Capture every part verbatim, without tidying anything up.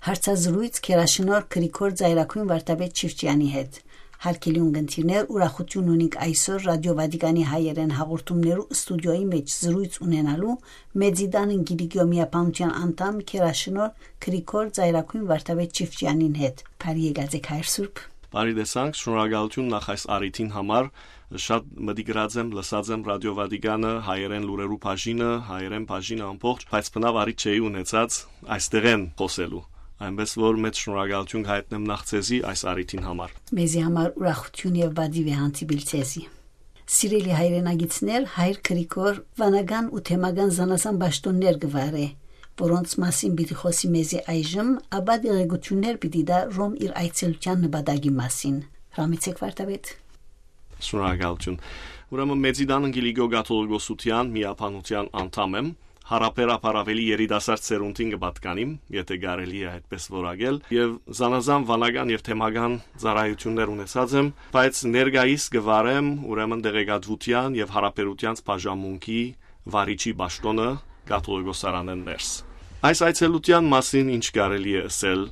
Հարցազրոյց Գերաշնորհ Գրիգոր Ծայրագոյն Վարդապետ Չիֆճեանի հետ։ Հարգելի ունգընտիրներ, ուրախութիւն ունինք այսօր Ռադիո Վատիկանի հայերէն հաղորդումներու ստուդիոյի մէջ զրոյց ունենալու Մեծի Տան Կիլիկիոյ միաբանութեան անդամ Գերաշնորհ Գրիգոր Ծայրագոյն Վարդապետ Չիֆճեանին հետ։ Բարի եկած եք, հայր Սուրբ։ Բարի տեսանք, շնորհակալութիւն նախ այս առիթին համար։ Շատ մտիկ ըրած եմ, լսած եմ Ռադիո Վատիկանը, հայերէն լուրերու բաժինը, հայերէն բաժինը ամբողջ, բայց բնաւ առիթ չէի ունեցած այստեղէն խօսելու։ Այնպէս որ մեծ շնորհակալութիւն կհայտնեմ նախ ձեզի այս առիթին համար։ Մեզի համար ուրախութիւն եւ պատիւ է հանդիպիլ ձեզի։ Սիրելի հայրենակիցներ, հայր Գրիգոր, վանական ու թեմական զանազան պաշտօններ կը վարէ, որոնց մասին պիտի խօսի մեզի այժմ, ապա տեղեկութիւններ պիտի տայ Ռոմ իր այցելութեան նպատակի մասին։ Հրամեցեք, Վարդապետ։ Շնորհակալութիւն։ Ուրեմն Մեծի Տան Կիլիկիոյ կաթողիկոսութեան միաբանութեան անդամ եմ։ Յարաբերաբար ավելի երիտասարդ սերունդին կը պատկանիմ, եթե կարելի է այդպես որակել, եւ զանազան վանական եւ թեմական ծառայութիւններ ունեցած եմ, բայց ներկայիս կը վարեմ ուրեմն տեղեկատվութեան եւ յարաբերութեանց բաժանմունքի վարիչի պաշտօնը կաթողիկոսարանէն ներս։ Այս այցելութեան մասին ինչ կարելի է ըսել,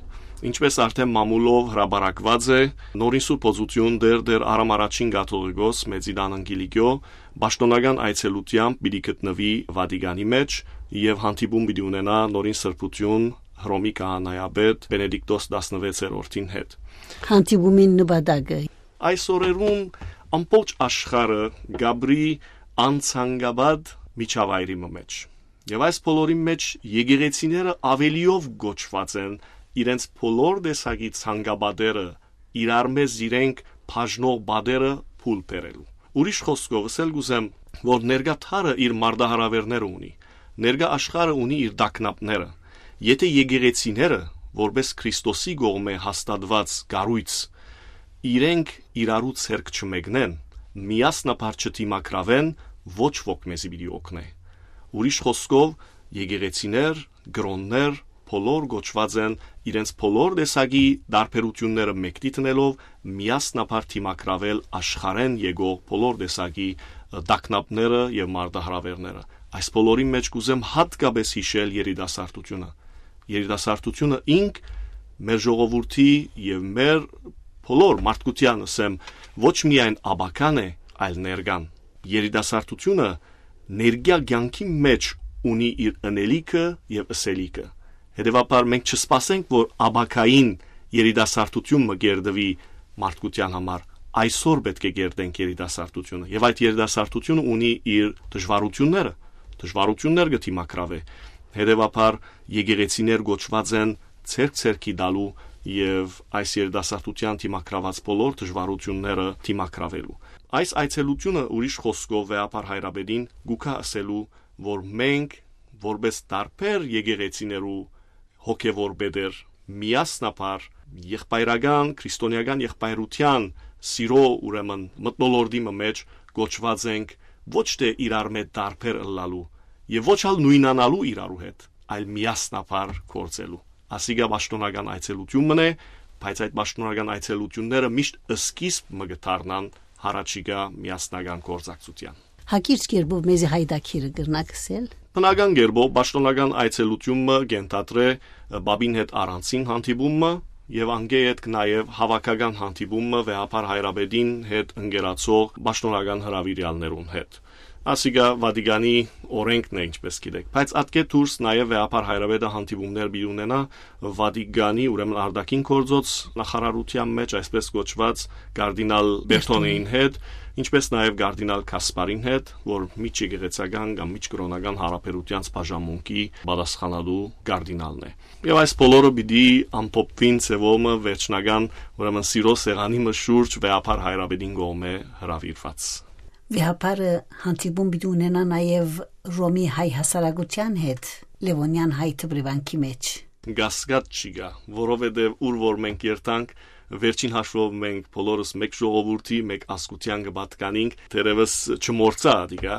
ինչպես արդէն մամուլով հրապարակուած է, նորին սուրբ օծութիւն դեռ, դեռ Արամ Առաջին կաթողիկոս Մեծի Տան Կիլիկիոյ պաշտօնական այցելութեամբ պիտի գտնուի Վատիկանի մէջ եւ հանդիպում պիտի ունենայ նորին սրբութիւն Հռոմի քահանայապետ Բենեդիկտոս տասնվեցերորդին հետ։ Հանդիպումին նպատակը։ Այս օրերուն ամբողջ աշխարհը կապրի անցանկապատ միջավայրի մը մէջ։ Եւ այս բոլորին մէջ եկեղեցիները ավելիով կոչուած են իրենց բոլոր տեսակի ցանկապատերը իրարմէ զիրենք բաժնող պատերը փուլ բերելու։ Ուրիշ խօսքով ըսել կ'ուզեմ, որ ներկայ դարը իր մարտահրաւերները ունի, ներկայ աշխարհը ունի իր տագնապները։ Եթե եկեղեցիները, որպես Քրիստոսի կողմէ հաստատուած կառոյց, իրենք իրարու ձեռք չմեկնեն, միասնաբար չդիմագրաւեն, ոչ ոք մեզի պիտի օգնէ։ Ուրիշ խօսքով, եկեղեցիներ, կրօններ, բոլոր կոչուած են իրենց բոլոր տեսակի տարբերութիւնները մեկնի դնելով միասնաբար դիմագրաւել աշխարհէն եկող բոլոր տեսակի, ը, տագնապները եւ մարտահրաւերները։ Այս բոլորին մէջ կ'ուզեմ յատկապէս յիշել երիտասարդութիւնը։ Երիտասարդութիւնը ինք մեր ժողովուրդի եւ մեր բոլոր մարդկութեան, ասեմ, ոչ միայն ապագան է, այլ ներկան։ Երիտասարդութիւնը ներկայ կեանքի մէջ ունի իր ընելիքը եւ ըսելիքը։ Հետեւաբար մենք չսպասենք, որ ապագային երիտասարդութիւն մը կերտուի մարդկութեան համար, այսօր պէտք է կերտենք երիտասարդութիւնը, եւ այդ երիտասարդութիւնը ունի իր դժվարութիւնները, դժվարութիւններ կը դիմագրաւէ։ Հետեւաբար եկեղեցիներ կոչուած են ձեռք ձեռքի տալու եւ այս երիտասարդութեան դիմագրաւած բոլոր դժվարութիւնները դիմագրաւելու։ Այս այցելութիւնը, ուրիշ խօսքով, վեհափառ հայրապետին կու գայ ըսելու, որ մենք, որպես տարբեր եկեղեցիներու հոգեւոր պետեր, միասնաբար եղբայրական, քրիստոնեական եղբայրութեան սիրո, ուրեմն, մթնոլորտի մը մէջ կոչուած ենք ոչ թէ իրարմէ տարբեր ըլլալու եւ ոչ ալ նոյնանալու իրարու հետ, այլ միասնաբար գործելու։ Ասիկա պաշտօնական այցելութիւն մըն է, բայց այդ պաշտօնական այցելութիւնները միշտ սկիզբ մը կը դառնան յառաջիկայ միասնական գործակցութեան։ Հակիրճ կերպով մեզի հայդակիրը կրնաք ըսել։ Բնական կերպով պաշտօնական այցելութիւն մը կ'ենթադրէ, ը, պապին հետ առանձին հանդիպում մը եւ անկէ ետք նաեւ հաւաքական հանդիպում մը վեհափառ հայրապետին հետ ընկերացող պաշտօնական հրաւիրեալներուն հետ։ Ասիկա Վատիկանի օրենքն է, ինչպես գիտեք, բայց ատկէ դուրս նաեւ վեհափառ հայրապետը հանդիպումներ պիտի ունենայ Վատիկանի, ուրեմն, արտաքին գործոց նախարարութեան մէջ, այսպես կոչուած, կարդինալ Բերթոնեին հետ, ինչպես նաեւ կարդինալ Կասպարին հետ, որ միջեկեղեցական կամ միջկրօնական յարաբերութեանց բաժանմունքի պատասխանատու կարդինալն է։ Եւ այս բոլորը պիտի ամփոփուին ձեւով մը վերջնական, ուրեմն, սիրո սեղանի մը շուրջ վեհափառ հայրապետին կողմէ հրաւիրուած։ Վեհափառը հանդիպում պիտի ունենայ նաեւ Ռոմի հայ հասարակութեան հետ Լեւոնեան հայ դպրեվանքի մէջ։ Կասկած չի գայ, որովհետեւ ուր որ մենք երթանք, վերջին հաշվով մենք բոլորս մէկ ժողովուրդի, մէկ ազգութեան կը պատկանինք, թերեւս չմոռցայ ատիկա,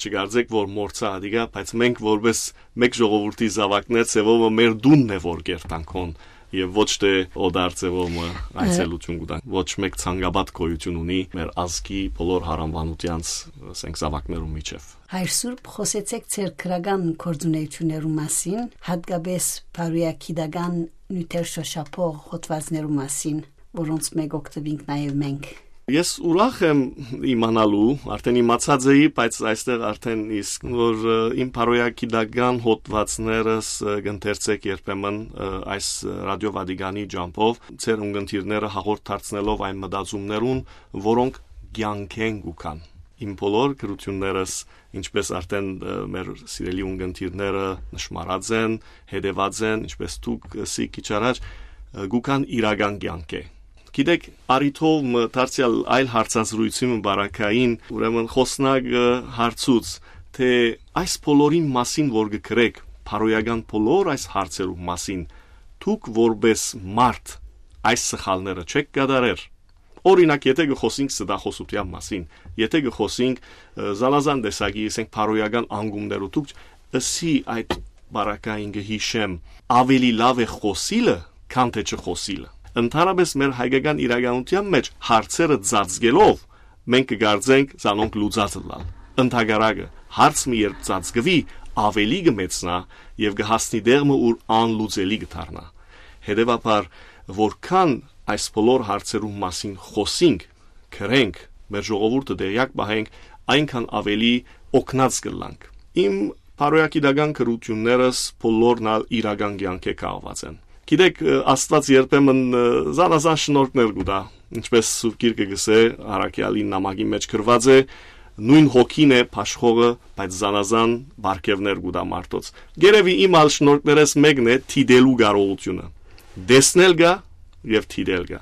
չկարծեք, որ մոռցայ ատիկա, բայց մենք որպես Մէկ ժողովուրդի զաւակներ ձեւով մը մեր տունն է, որ կերտանք հոն, եւ ոչ թէ օտար ձեւով մը այցելութիւն կու տանք։ Ոչ մէկ ցանկապատ գոյութիւն ունի մեր ազգի բոլոր հարանուանութեանց, ասենք, զաւակներուն միջեւ։ Հայր Սուրբ, խօսեցէք ձեր գրական գործունեութիւններու մասին, յատկապէս բարոյագիտական նիւթեր շոշափող հոդվածներու մասին, որոնց մէկ օգտուինք նաեւ մենք։ Ես ուրախ եմ իմանալու, արդեն իմացած էի, բայց այստեղ արդեն իսկ, որ, ը, իմ բարոյագիտական հոդվածներս, ը, կ'ընթերցէք երբեմն, ը, այս, ը, Ռադիո Վատիկանի ջամբով, ձեր ունկնդիրները հաղորդ դարձնելով այն մտածումներուն, որոնք կեանքէն կու գան։ Իմ բոլոր գրութիւններս, ինչպես արդեն, ը, մեր սիրելի ունկնդիրները նշմարած են, հետեւած են, ինչպես դուք, ը, սի քիչ առաջ, ը, կու գան իրական կեանքէ։ Գիտեք, առիթով մը դարձեալ այլ հարցազրույցի մը բարակային, ուրեմն խօսնակը հարցուց, թէ այս բոլորին մասին, որ կը գրեք, բարոյական բոլոր այս հարցերու մասին, դուք որպես մարդ այս սխալները չէք կատարեր։ Օրինակ, եթե կը խօսենք ստախոսութեան մասին, եթե կը խօսենք, ը, զանազան տեսակի, ասենք, բարոյական անկումներու, դուք ըսի այդ բարակային կը յիշեմ, ավելի լաւ է խօսիլը, քան թէ չխօսիլը։ Ընդհանրապես մեր հայկական իրականութեան մէջ հարցերը ծածկելով, մենք կը կարծենք զանոնք լուծած ըլլալ։ Ընդհակառակը, հարց մը երբ ծածկուի, ավելի կը մեծնայ եւ կը հասնի տեղ մը, ուր անլուծելի կը դառնայ։ Հետեւաբար, որքան այս բոլոր հարցերուն մասին խօսինք, գրենք, մեր ժողովուրդը տեղեակ պահենք, այնքան ավելի օգնած կ'ըլլանք։ Իմ բարոյագիտական գրութիւններս բոլորն ալ իրական կեանքէ կախուած են։ Գիտեք, ը, Աստուած երբեմն, ը, զանազան շնորհքներ կու տայ, ինչպես Սուրբ Գիրքը կ'ըսէ, առաքեալին նամակի մէջ գրուած է, նոյն հոգին է բաշխողը, բայց զանազան պարգեւներ կու տայ մարդոց։ Գերեւի իմ ալ շնորհքներէս մէկն է դիտելու կարողութիւնը։ Տեսնել կայ եւ դիտել կայ։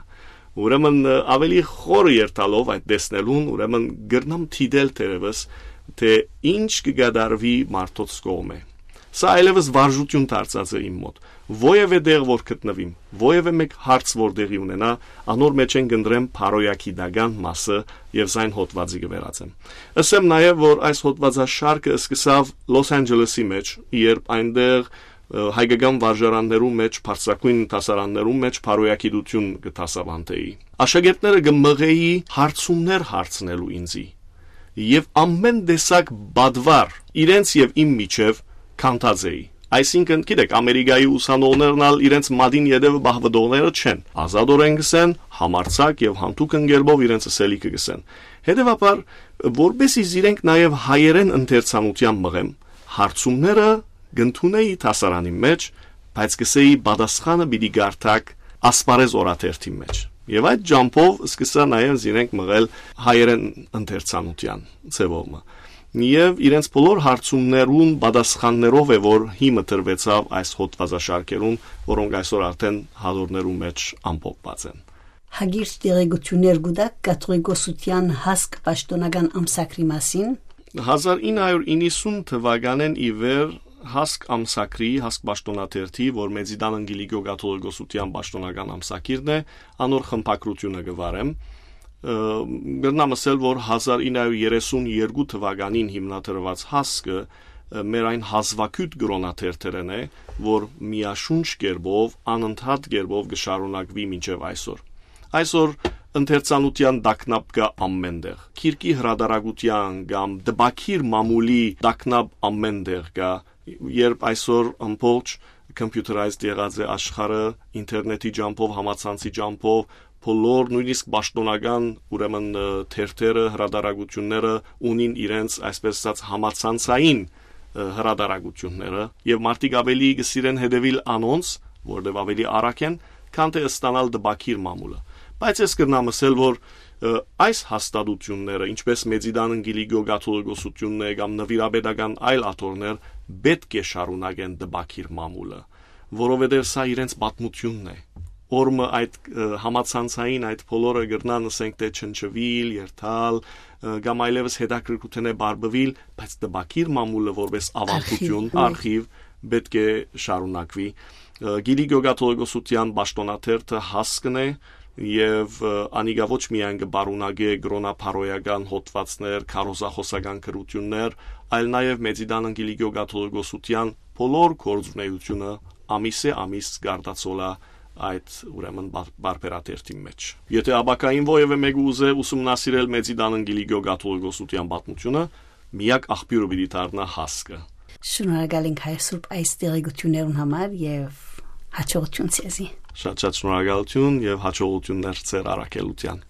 Ուրեմն, ը, ավելի խորը երթալով այդ տեսնելուն, ուրեմն կրնամ դիտել թերեւս, թէ ինչ կը կատարուի մարդոց կողմէ։ Սա այլեւս վարժութիւն դարձած է իմ մօտ։ Որեւէ տեղ որ գտնուիմ, որեւէ մէկ հարց որ տեղի ունենայ, անոր մէջէն կ'ընտրեմ բարոյագիտական մասը եւ զայն հոդվածի կը վերածեմ։ Ըսեմ նաեւ, որ այս հոդվածաշարքը սկսաւ Լոս Անջելեսի մէջ, երբ այնտեղ, ը, հայկական վարժարաններու մէջ, բարձրագոյն դասարաններու մէջ բարոյագիտութիւն կը դասաւանդէի։ Աշակերտները կը մղէի հարցումներ հարցնելու ինձի, եւ ամէն տեսակ պատուար իրենց եւ իմ միջեւ քանդած էի։ Այսինքն, գիտեք, Ամերիկայի ուսանողներն ալ իրենց մատին ետեւը պահուտողները չեն, ազատօրէն կ'ըսեն, համարձակ եւ յանցիկ կերպով իրենց ըսելիքը կ'ըսեն։ Հետեւաբար, որպեսզի զիրենք նաեւ հայերէն ընթերցանութեան մղեմ, հարցումները կ'ընդունէի դասարանին մէջ, բայց կ'ըսէի, պատասխանը պիտի կարդաք Ասպարէզ օրաթերթին մէջ։ Եւ այդ ջամբով սկսա նաեւ զիրենք մղել հայերէն ընթերցանութեան ձեւով մը։ Եւ իրենց բոլոր հարցումներուն պատասխաններով է, որ հիմը տրուեցաւ այս հոդվածաշարքերուն, որոնք այսօր արդեն հատորներու մէջ ամփոփուած են։ Հակիրճ տեղեկութիւններ կու տաք կաթողիկոսութեան հասկ պաշտօնական ամսագրի մասին։ Հազար ինը հարիւր իննսուն թուականէն ի վեր հասկ ամսագրի, հասկ պաշտօնաթերթի, որ Մեծիտան Անկիլիկիո կաթողիկոսութեան պաշտօնական ամսագիրն է, անոր խմբագրութիւնը կը վարեմ։ Ը, կրնամ ըսել, որ հազար ինը հարիւր երեսուն երկու թուականին հիմնադրուած հասկը, ը, մեր այն հազուագիւտ կրօնաթերթերէն է, որ միաշունչ կերպով, անընդհատ կերպով կը շարունակուի մինչեւ այսօր։ Այսօր ընթերցանութեան տագնապ կայ ամէն տեղ։ Գիրքի հրատարակութեան կամ տպագիր մամուլի տագնապ ամէն տեղ կայ, երբ այսօր ամբողջ computerized եղած է աշխարհը, ինտերնետի ջամբով, համացանցի ջամբով, բոլոր, նոյնիսկ պաշտօնական, ուրեմն, ը, թերթերը, հրատարակութիւնները ունին իրենց, այսպես ասած, համացանցային, ը, հրատարակութիւնները, եւ մարդիկ ավելի կը սիրեն հետեւիլ անոնց, որտեւ ավելի արագ են, քան թէ ստանալ տպագիր մամուլը։ Բայց ես կրնամ ըսել, որ, ը, այս հաստատութիւնները, ինչպես Մեծիտան Անկիլիկիո կաթողիկոսութիւնն է կամ նվիրապետական այլ աթոռներ, պետք է շարունակեն տպագիր մամուլը, որովհետեւ սա իրենց պատմութիւնն է։ Օրը մը այդ, ը, համացանցային այդ բոլորը կրնան, ասենք, թէ չնչուիլ, երթալ, ը, կամ այլեւս հետաքրքրութենէ բարբուիլ, բայց տպագիր մամուլը որպես ավանդութիւն, արխիվ, արխիվ, պետք է շարունակուի։ Ը, Կիլիկիո կաթողիկոսութեան պաշտօնաթերթը հասկն է, եւ, ը, անիկա ոչ միայն կը պարունակէ կրօնաբարոյական հոդվածներ, քարոզախօսական գրութիւններ, այլ նաեւ Մեծիտան Անկիլիկիո կաթողիկոսութեան բոլոր գործունեությունը ամիսէ ամիս կարտացոլայ այդ, ուրեմն, բա-, բարբերաթերթին մէջ։ Եթէ ապագային որեւէ մէկը ուզէ ուսումնասիրել Մեծի Տանն Կիլիկիոյ կաթողիկոսութեան պատմութիւնը, միակ աղբիւրը պիտի դառնայ Հասկը։ Շնորհակալ ենք, հայր Սուրբ, այս տեղեկութիւններուն համար եւ հաջողութիւն ձեզի։ Շատ շատ շնորհակալութիւն եւ հաջողութիւններ ձեր առաքելութեան։